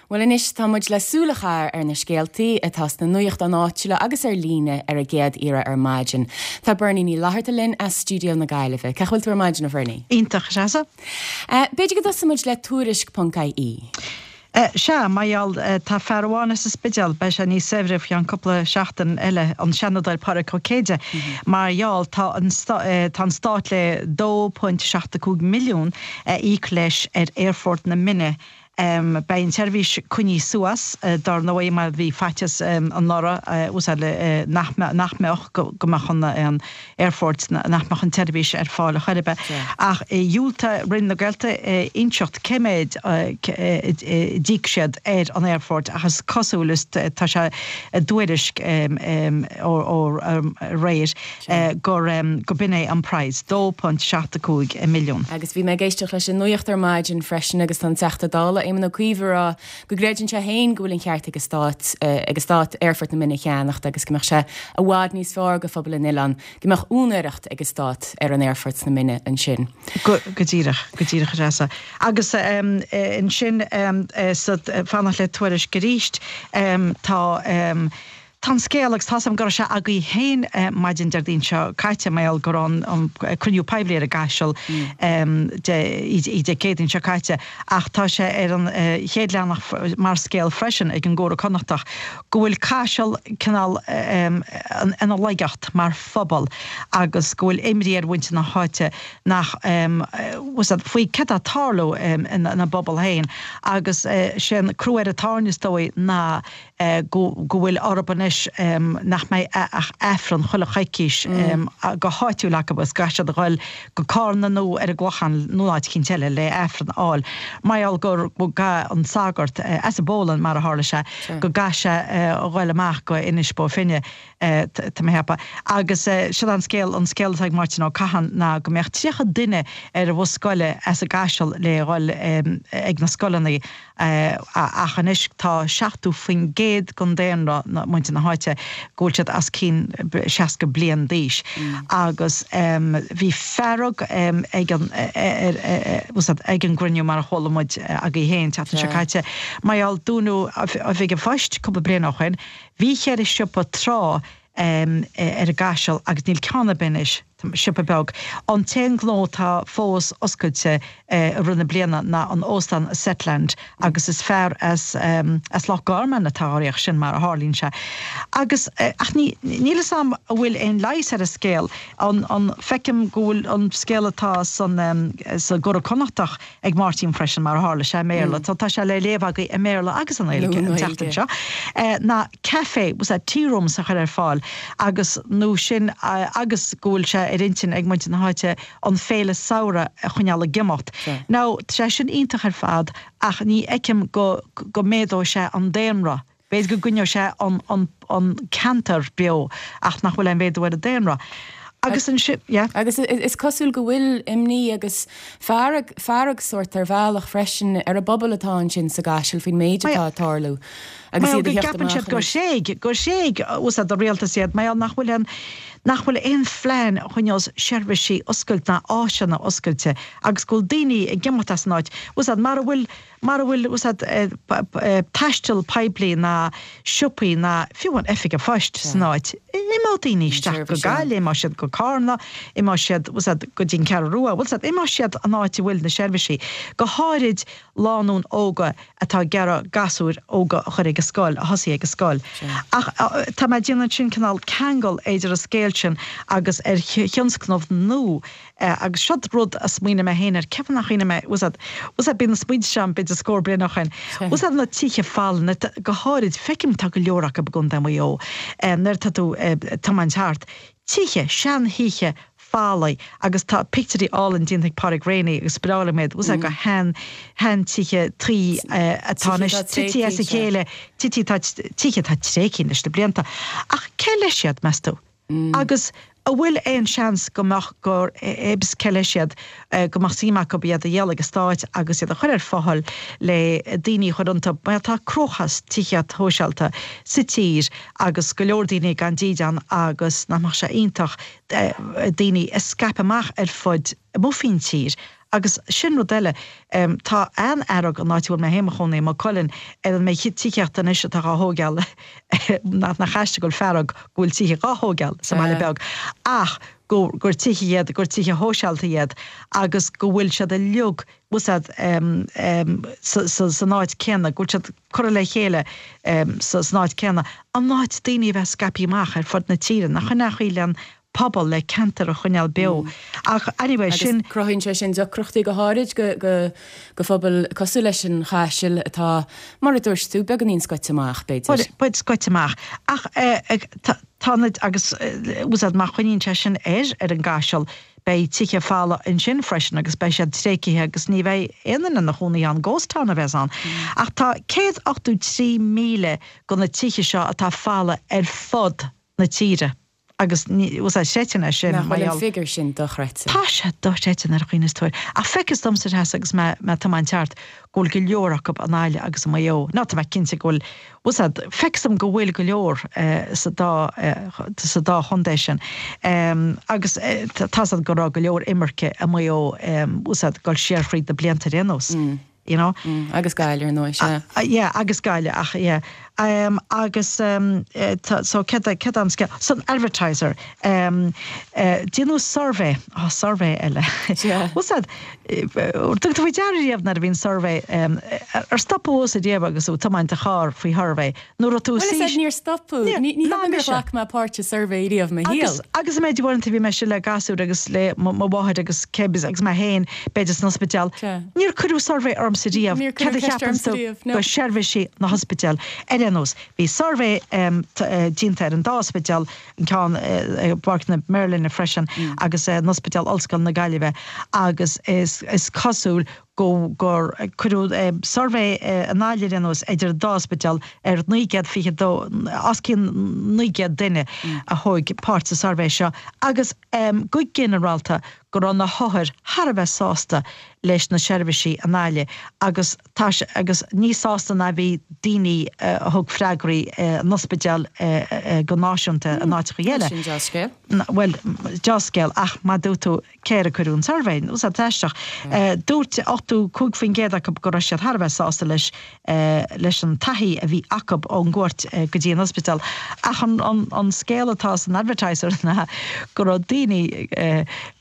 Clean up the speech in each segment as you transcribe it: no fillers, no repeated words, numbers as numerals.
Bhuel anois tá muid le súil a chaitheamh ar na scéaltaí atá sna nuachtáin áitiúla agus ar líne ar an gcéad iarraidh ar maidin. Tá Bernie Ní Fhlatharta linn as stiúideo na Gaillimhe. Cén chaoi a bhfuil tú ar maidin, a Bhernie? Iontach, a Threasa. B'fhéidir go dtosóidh muid le Tuairisc.ie. Sea, mar gheall, tá fear amháin as an Spidéal, beidh sé níos saibhre faoi cheann cúpla seachtain eile, an Seanadóir Pádraig Ó Céide, mar gheall, tá an tá an Stát le 2.75 milliún a íoc leis ar Aerfort na Minne Beidh an tseirbhís coinnithe suas, dar ndóigh, mar bhí faitíos anuraidh nach mbeadh, go mbeadh an aerfort, nach mbeadh an tseirbhís ar fáil ar chor ar bith. Ach dhiúltaigh Roinn na Gaeltachta inseacht cé méid a d'íoc siad ar an aerfort ach is cosúil, is tá sé i dtuairisc ó aréir, gur go b'in é an praghas, 2.75 milliún. Agus bhí mé ag éisteacht leis an nuacht ar maidin freisin agus tá an Teachta Dála, Éamon Ó Cuív ag rá go gcreideann sé féin go bhfuil an cheart ag an Stát ag an Stát Aerfort na Minne a cheannacht agus go mbeadh sé i bhfad níos fearr do phobal an oileáin go mbeadh úinéireacht ag an Stát ar an aerfort sna Minne ansin. Go díreach, go díreach a Threasa. Agus ansin sa fanacht le Tuairisc arís tá Tá an scéal, agus tá's agam go raibh sé agaibh féin maidin Déardaoin seo caite, mar gheall go raibh an cruinniú poiblí ar an gCaiseal Dé Céadaoin seo caite, ach tá sé ar an chéad leathanach mar scéal freisin ag an gComhar Connachtach go bhfuil Caiseal cineál ina laigeacht mar phobal agus go bhfuil imní ar mhuintir na háite nach faoi céard atá ag tarlú ina bpobal féin agus sé an crú ar an tairne is dóigh ná go bhfuil orthu anois nach mbeidh ach Aifreann chuile choicís go háitiúil acu agus go gcaithfidh siad a ghoil go Cárna nó ar an gClochán nó áit eicínt eile le Aifreann a fháil. Mar gheall gur go gcaithfidh an sagart, as an bPólainn mar a tharla sé, go gcaithfidh sé a ghoil amach go Inis Bó Finne, tá mé a cheapadh. Agus siod an scéal, an scéal atá ag Máirtín Ó Catháin ná go mbeadh 30 duine ar an bhus scoile as an gCaiseal le ghoil ag na scoileanna Ach anois tá 70% den daonra, muintir na háite, go bhfuil siad os cionn 60 bliain d'aois. Agus bhí fearg ag an ag an gcruinniú mar a chuala muid agaibh féin an tseachtain seo caite mar gheall dúnadh oifig an phoist cúpla bliain ó shoin. Bhí cheithre siopa tráth ar an gCaiseal agus níl ceann ar bith anois. Siopa beag. An t-aon ghnó atá fós oscailte i rith na bliana ná an óstán Zetland agus is fear as as Loch Garman atá á riar sin mar a tharlaíonn sé. Agus ach ní níl fhios a'm an bhfuil aon leigheas ar an scéal. An an feicim go bhfuil an scéal atá san sa gCuradh Connachtach ag Máirtín freisin mar a tharla sé i mBéarla. Tá tá sé le léamh agaibh i mBéarla agus i nGaeilge an tseachtain seo. Ná café, was that tea rooms a chur ar fáil agus nó sin agus go bhfuil sé ar intinn ag muintir na háite an féile samhraidh a choinneáil ag imeacht. Now tá sé sin iontach ar fad ach ní fheicim go go méadóidh sé an daonra. B'fhéidir go gcoinneoidh sé an an an ceantar beo ach nach bhfuil aon mhéadú ar an daonra. Agus ansin, yeah. Agus is cosúil go bhfuil imní agus fearg, fearg sórt ar bhealach freisin ar an bpobal atá ansin sa gCaiseal faoin méid atá ag tarlú agus iad ag theacht amach anois. Mar go gceapann siad gur thréig, gur thréig úsáid an rialtas iad, mar gheall nach bhfuil aon, nach bhfuil aon phlean a choinneos seirbhísí oscailte ná áiseanna oscailte agus go bhfuil daoine ag imeacht as an áit. Úsáid, mara bhfuil Mara bhfuil úsáid taisteal poiblí ná siopaí ná fiú an oifig an phoist san áit, imeoidh daoine isteach go Gaillimh, imeoidh siad go Cárna, imeoidh siad úsáid go dtí an Cheathrú Rua, bhfuil fhios a'd, imeoidh siad an áit a bhfuil na seirbhísí, go háirid lánúin óga atá ag iarraidh gasúir óga a chur ag an scoil, a thosaí ag an scoil. Ach tá mé ag déanamh ansin cineál ceangal idir an scéal sin agus ar thionscnamh nua Agus siod rud a smaoinigh mé féin air, ceapaim nach ionadh mé, bhfuil fhios a'd, bhfuil fhios a'd, bíonn na smaointe seo a'm b'fhéidir scór bliain ó shoin, bhfuil fhios a'd na tithe folmha, go háirid, feicim tá go leor acu i gContae Mhaigh Eo, nuair atá tú ag tiomáint thart, tithe, seanthithe folmha agus tá pictiúirí álainn déanta ag Pádraig Reaney agus is breá liom iad, bhfuil fhios a'd, go shean, sheantithe tuí atá anois tití as a chéile, tití atá, tithe atá tréigthe leis na blianta. Ach cé leis iad, meas tú? Agus an bhfuil aon seans go mbeadh gur ibs cé leis iad, go mbeadh suim acu iad a dhíol ag an Stát agus iad a chur ar fáil le daoine a chur iontu mar tá cruachás tithíocht shóisialta sa tír agus go leor daoine gan dídean agus nach mbeadh sé iontach daoine a scaipeadh amach ar fud amuigh faoin tír. Agus sin rud eile, tá an-fhearg an áit a bhfuil mé féin i mo chónaí, Maigh Cuilinn, ar an méid tithíochta anois atá dhá thóigeáil, nach aisteach go bhfuil fearg go bhfuil tithe dhá thóigeáil sa mbaile beag, ach go, gur tithe iad, gur tithe shóisialta iad agus go bhfuil siad uilig, bhfuil 's a'd, san áit céanna, go bhfuil siad curtha le chéile san áit céanna, in áit daoine a bheith scaipthe amach ar fud na tíre, nach in é an chaoi le an pobal, le ceantar a choinneáil beo. Ach anyway, sin. Agus cruthaíonn sé sin deacrachtaí go háirid go phobail cosúil leis an Chaiseal atá, mar a dúirt tú, beagáinín scoite amach, b'fhéidir. B'fhéidir scoite amach. Ach tá na, agus bhfuil 's a'd, má choinníonn sé sin air, ar an gCaiseal, beidh tithe folamh ansin freisin agus beidh siad tréigthe agus ní bheidh aon duine ina chónaí ann, ghost town a bheas ann. Ach tá 183,000 de na tithe seo atá folamh ar fud na tíre agus ní, bhfuil 's a'd, chreidfinn é sin Nach bhfuil an figiúr sin dochreidte? Tá sé dochreidte nuair a chuimhníos tú air. Ach feictear domsa Treasa agus mé ag tiomáint thart go bhfuil go leor acu i nGaillimh agus i Maigh Eo. Nó tá mé cinnte go bhfuil, bhfuil 's a'd, feictear dom go bhfuil go leor sa dá, sa dá chontae sin. Agus tá 's a'd go raibh go leor imirce i Maigh Eo, bhfuil 's a'd, dul siar fríd na blianta ar aon nós. you know. Agus Gaillimh ar ndóigh, sea. Yeah, agus Gaillimh, ach yeah. Agus so céard é, céard é an scéal? San Advertiser, déanadh suirbhé, oh suirbhé eile. Yeah. Bhfuil 's a'd, thug tú faoi deara riamh nuair a bhíonn suirbhé, ar stop thusa riamh agus tú ag tiomáint do charr faoi shuirbhé? Nó raibh tú Bhuel, is ea, níor stopadh. Ní ní dóigh liom gur ghlac mé páirt i suirbhé riamh i mo shaol. Agus an méid uaireanta bhí mise le gasúir agus le mo mháthair agus cé agus mé féin, b'fhéidir san ospidéal. Níor cuireadh suirbhé ormsa riamh, céard a cheapann tú de sheirbhísí na hospidéal. Ar aon nós, bhí suirbhé déanta ar an dá ospidéal, an ceann i bPáirc na Merlinne freisin agus in Ospidéal Ollscoile na Gaillimhe agus is cosúil go gur cuireadh suirbhé i nGaillimh ar aon nós idir an dá ospidéal ar 922, os cionn 900 duine a thóg páirt sa suirbhé seo agus go ginearálta go raibh na hothair thar a bheith sásta leis na seirbhísí i nGaillimh agus tá sé agus níos sásta ná bhí daoine a thug freagraí in ospidéal go náisiúnta in áiteacha eile. Sin dea-scéal. Bhuel, dea-scéal ach mar a dúirt tú cé air a cuireadh an suirbhé? Bhfuil 's a'd, aisteach. Dúirt 85% acu go raibh siad thar a bheith sásta leis leis an taithí a bhí acu ón gcuairt go dtí an ospidéal. Ach an scéal atá san Advertiser ná go raibh daoine,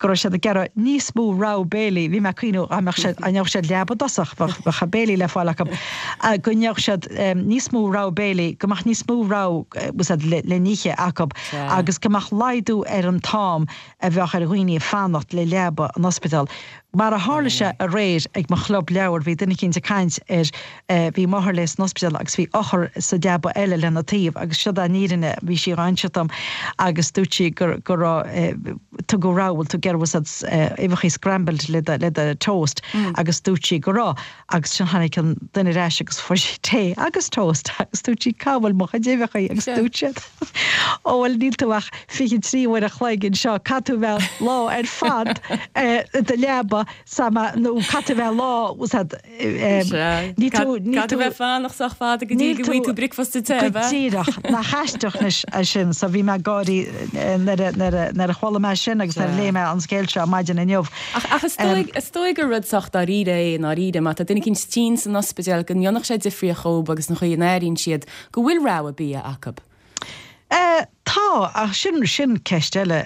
go raibh siad ag iarraidh níos mó rogha béilí, bhí mé ag cuimhniú dá mbeadh siad, dá ngeobhadh siad leaba i dtosach, bheadh béilí le fáil acu, go ngeobhadh siad níos mó rogha béilí, go mbeadh níos mó rogha le n-ithe acu agus go mbeadh laghdú ar an t-am a bheadh ar dhaoine fanacht le leaba in ospidéal. Mar a tharla sé aréir ag mo chlub leabhar, bhí duine eicínt ag caint ar, bhí máthair léi san ospidéal agus bhí othar sa leaba eile lena taobh agus siod an fhírinne, bhí sí dhá inseacht dom agus dúirt sí gur, go raibh, tugadh rogha, bhfuil tú ag iarraidh bhfuil 's a'd, uibheachaí scrambled le do, le do toast agus dúirt sí go raibh agus ansin tháinig an duine ar ais agus fuair sí tae agus toast agus dúirt sí cá bhfuil mo chuid uibheachaí agus dúirt siad. Ó bhuel níl tú ach 23 uair a chloig anseo, caithfidh tú bheith lá ar fad i do leaba sama nó caithfidh tú bheith lá, bhfuil 's a'd, níl tú, níl tú. Caithfidh tú bheith fanacht sách fada go dtí go bhfaighidh tú bricfeasta te, ab ea? Go díreach, nach aisteach anois é sin, so bhí mé ag gáirí nuair a, nuair a, nuair a chuala mé sin agus nuair a léigh mé an scéal seo maidin inniu. Ach, ach is dóigh, is dóigh gur rud sách dáiríre é i ndáiríre, má tá duine eicínt tinn san ospidéal go ndéanfadh sé difríocht dhóibh agus an chaoi a n-airíonn siad Go bhfuil rogha bia acu. Tá, ach sin, sin ceist eile.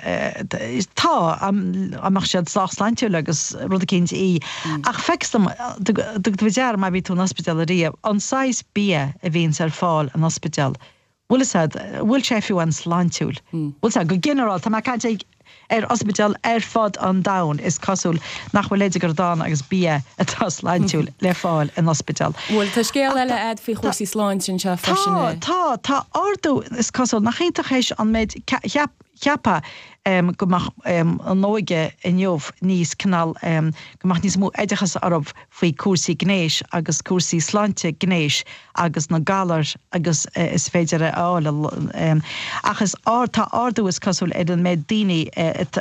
Tá, an mbeadh siad sách sláintiúil agus rud eicínt í. Ach feictear dom, dtug tú faoi deara má bhí tú in ospidéal ariamh, an saghas bia a bhíonns ar fáil in ospidéal, bhfuil fhios a'd, bhfuil sé fiú an-sláintiúil? Bhfuil fhios a'd, go ginearálta, tá mé ag caint ag, Ar ospidéil ar fud an domhain, is cosúil nach bhfuil leide gur dán agus bia atá sláintiúil le fáil in ospidéal. Bhuel, tá scéal eile a'd faoi chúrsaí sláinte anseo freisin. Tá, tá, tá ardú, is cosúil, nach iontach é an méid, cheap, cheapfá go mbeadh an óige inniu níos cineál, go mbeadh níos mó oideachas orthu faoi cúrsaí gnéis agus cúrsaí sláinte gnéis agus na galair agus is féidir a fháil ach is ard, tá ardú is cosúil ar an méid daoine,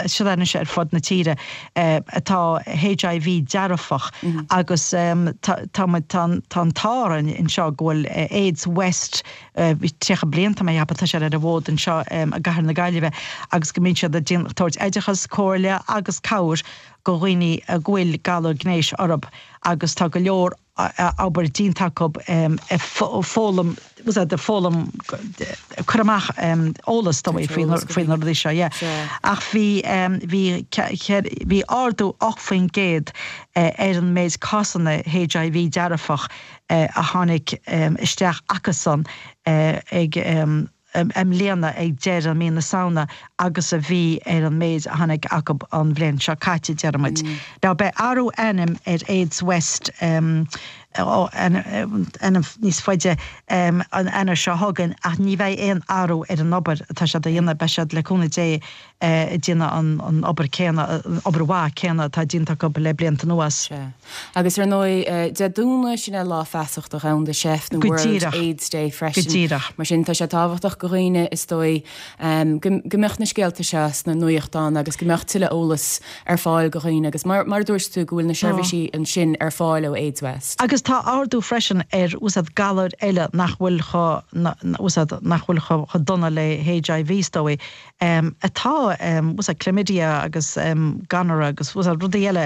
seo anois ar fud na tíre, atá HIV dearfach agus tá, tá muid, tá an, tá an t-ádh orainn anseo go bhfuil AIDS West, 30 bliain tá mé a cheapadh, tá sé ar an bhfód anseo i gcathair na Gaillimhe. agus go mbíonn siad ag tabhairt oideachas, comhairle agus cabhair go dhaoine a go bhfuil galar gnéis orthu agus tá go leor obair déanta acu ag foghlaim, ag foghlaim, cur amach eolas dóibh faoi faoi na rudaí seo, yeah. Ach bhí, bhí, bhí ardú 8% ar an méid cásanna HIV dearfach a tháinig isteach acusan ag i mbliana ag deireadh mí na Samhna agus a bhí ar an méid a tháinig acu an bhliain seo caite, deir muid. Now beidh athrú ainm ar Aids West, ainm níos faide, an Eanáir seo chugainn ach ní bheidh aon athrú ar an obair atá siad a dhéanamh, beidh siad le cúnamh Dé ag déanamh an obair céanna, an obair mhaith céanna atá déanta acu le blianta anuas. Sea. Agus ar ndóigh, Dé Domhnaigh, sin é Lá Feasachta Dhomhanda Seif nó World AIDS Day freisin. Go díreach. Mar sin, tá sé tábhachtach go dhaoine, is dóigh, go mbeadh na scéalta seo sna nuachtáin agus go mbeadh tuilleadh eolas ar fáil go dhaoine agus mar mar a dúirt tú go bhfuil na seirbhísí ansin ar fáil ó AIDS West. Agus tá ardú freisin ar úsáid galair eile nach bhfuil chomh, úsáid nach bhfuil chomh dona le HIV is dóigh. atá, úsáid chlamydia agus gonorrhea agus úsáid rudaí eile,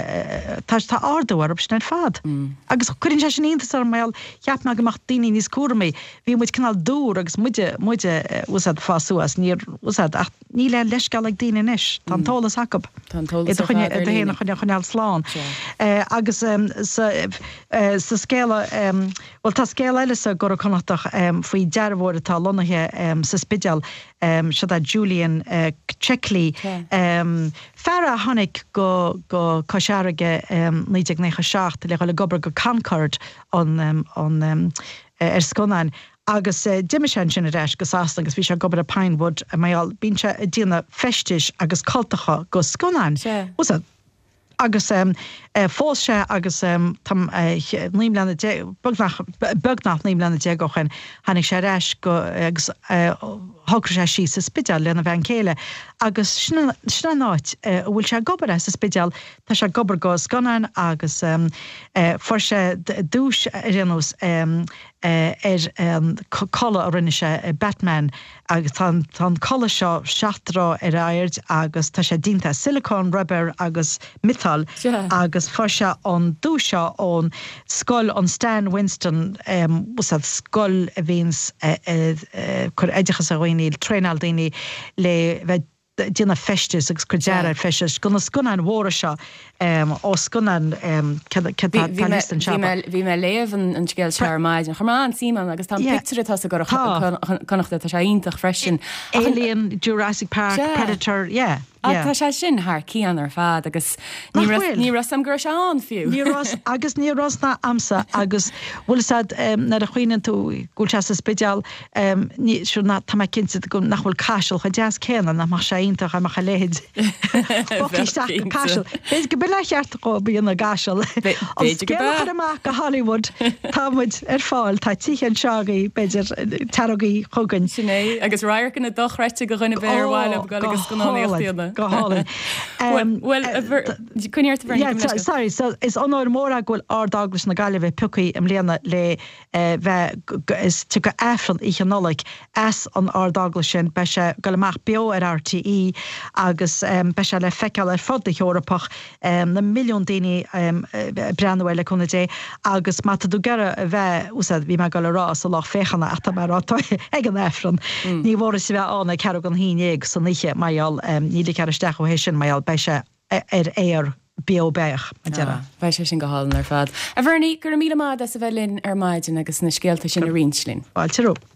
tá tá ardú orthu sin ar fad. Agus cuireann sé sin iontas orm mar cheap mé go mbeadh daoine níos cúramaí. Bhí muid cineál dúr agus muide muide úsáid fás suas, níor úsáid ach níl aon leithscéal ag daoine anois. Tá an t-eolas acu. Tá an t-eolas ar fad ar líne. Iad a choinneáil slán. Agus sa sa scéala bhuel tá scéal eile sa gCuradh Connachtach faoi dearbhóir atá lonnaithe sa Spidéal Seo é Julian Checkley, fear a tháinig go go Cois Fharraige 1997 le dhul ag obair go Concorde an an ar scannáin agus d'imigh sé ansin ar ais go Sasana agus bhí sé ag obair i Pinewood mar gheall bíonn sé ag déanamh feistis agus cultacha go scannáin. Agus phós sé agus tá 19 mbliana, beagnach, beagnach 19 mbliana ó shin, tháinig sé ar ais go, agus shocraigh sé síos sa Spidéal lena bhean chéile agus sin, sin an áit a bhfuil sé ag obair, sa Spidéal. Tá sé ag obair go scannáin agus fuair sé duais ar aon nós ar an culaith a rinne sé, Batman. Agus tá an, tá an culaith seo 7 dtroigh ar aird agus tá sé déanta as silicone, rubber agus miotal agus fuair sé an duais seo ón scoil, an Stan Winston, bhfuil scoil a bhíonns ag cur oideachas ar dhaoine, traenáil daoine le bheith déanamh feistis agus cur dearadh ar feistis go na scannáin mhóra seo. Ó scannán cad tá liosta anseo. Bhí mé ag léamh an scéal seo ar maidin. Chuir mé an-suim ann agus tá an pictiúr atá sa gCuradh Connachta, tá sé iontach freisin. Alien, Jurassic Park, Predator, yeah. Ach tá sé sin thar cionn ar fad agus ní raibh fhios a'm go raibh sé ann fiú. Ní raibh agus ní raibh ná a'msa agus bhfuil fhios a'd nuair a chuimhníonn tú go bhfuil sé sa Spidéal Ní, sure, ná, tá mé cinnte go, nach bhfuil Caiseal chomh deas céanna, nach mbeadh sé iontach dá mbeadh a leithéid bogtha isteach go Caiseal. B'fhéidir go b'in é an cheart dhó a dhéanamh i gCaiseal. An scéal a chur amach go Hollywood, tá muid ar fáil, tá tithe anseo agaibh, b'fhéidir, tarraingigí chugainn. Sin é, agus radharcanna dochreidte go dhuine ar bith ar mhaith leo dul agus scannánaíocht a dhéanamh. Go hálainn. Bhuel, coinnigh ort a Bhernie, gabh mo leithscéal. Sorry, so is onóir mór é go bhfuil Ard-Eaglais na Gaillimhe pioctha i mbliana le bheith is tiocfaidh Aifreann Oíche Nollag as an Ard-Eaglais sin. Beidh sé ag dul amach beo ar RTÉ agus beidh sé le feiceáil ar fud na hEorpach, na milliúin daoine ag breathnú air le cúnamh Dé agus má tá tú ag iarraidh a bheith, úsáid, bhí mé ag dul a rá sa lucht féachana ach tá mé ag rá ag an Aifreann. Ní mór duit a bheith ann ag ceathrú don haon dhéag san oíche mar gheall, ní ligfear isteach thú théis sin mar gheall beidh sé ar aer beo beathach, a déarfá. Beidh sé sin go hálainn ar fad. A Bhernie, go raibh míle maith agat as a bheith linn ar maidin agus na scéalta sin a roinnt linn. Fáilte romhat.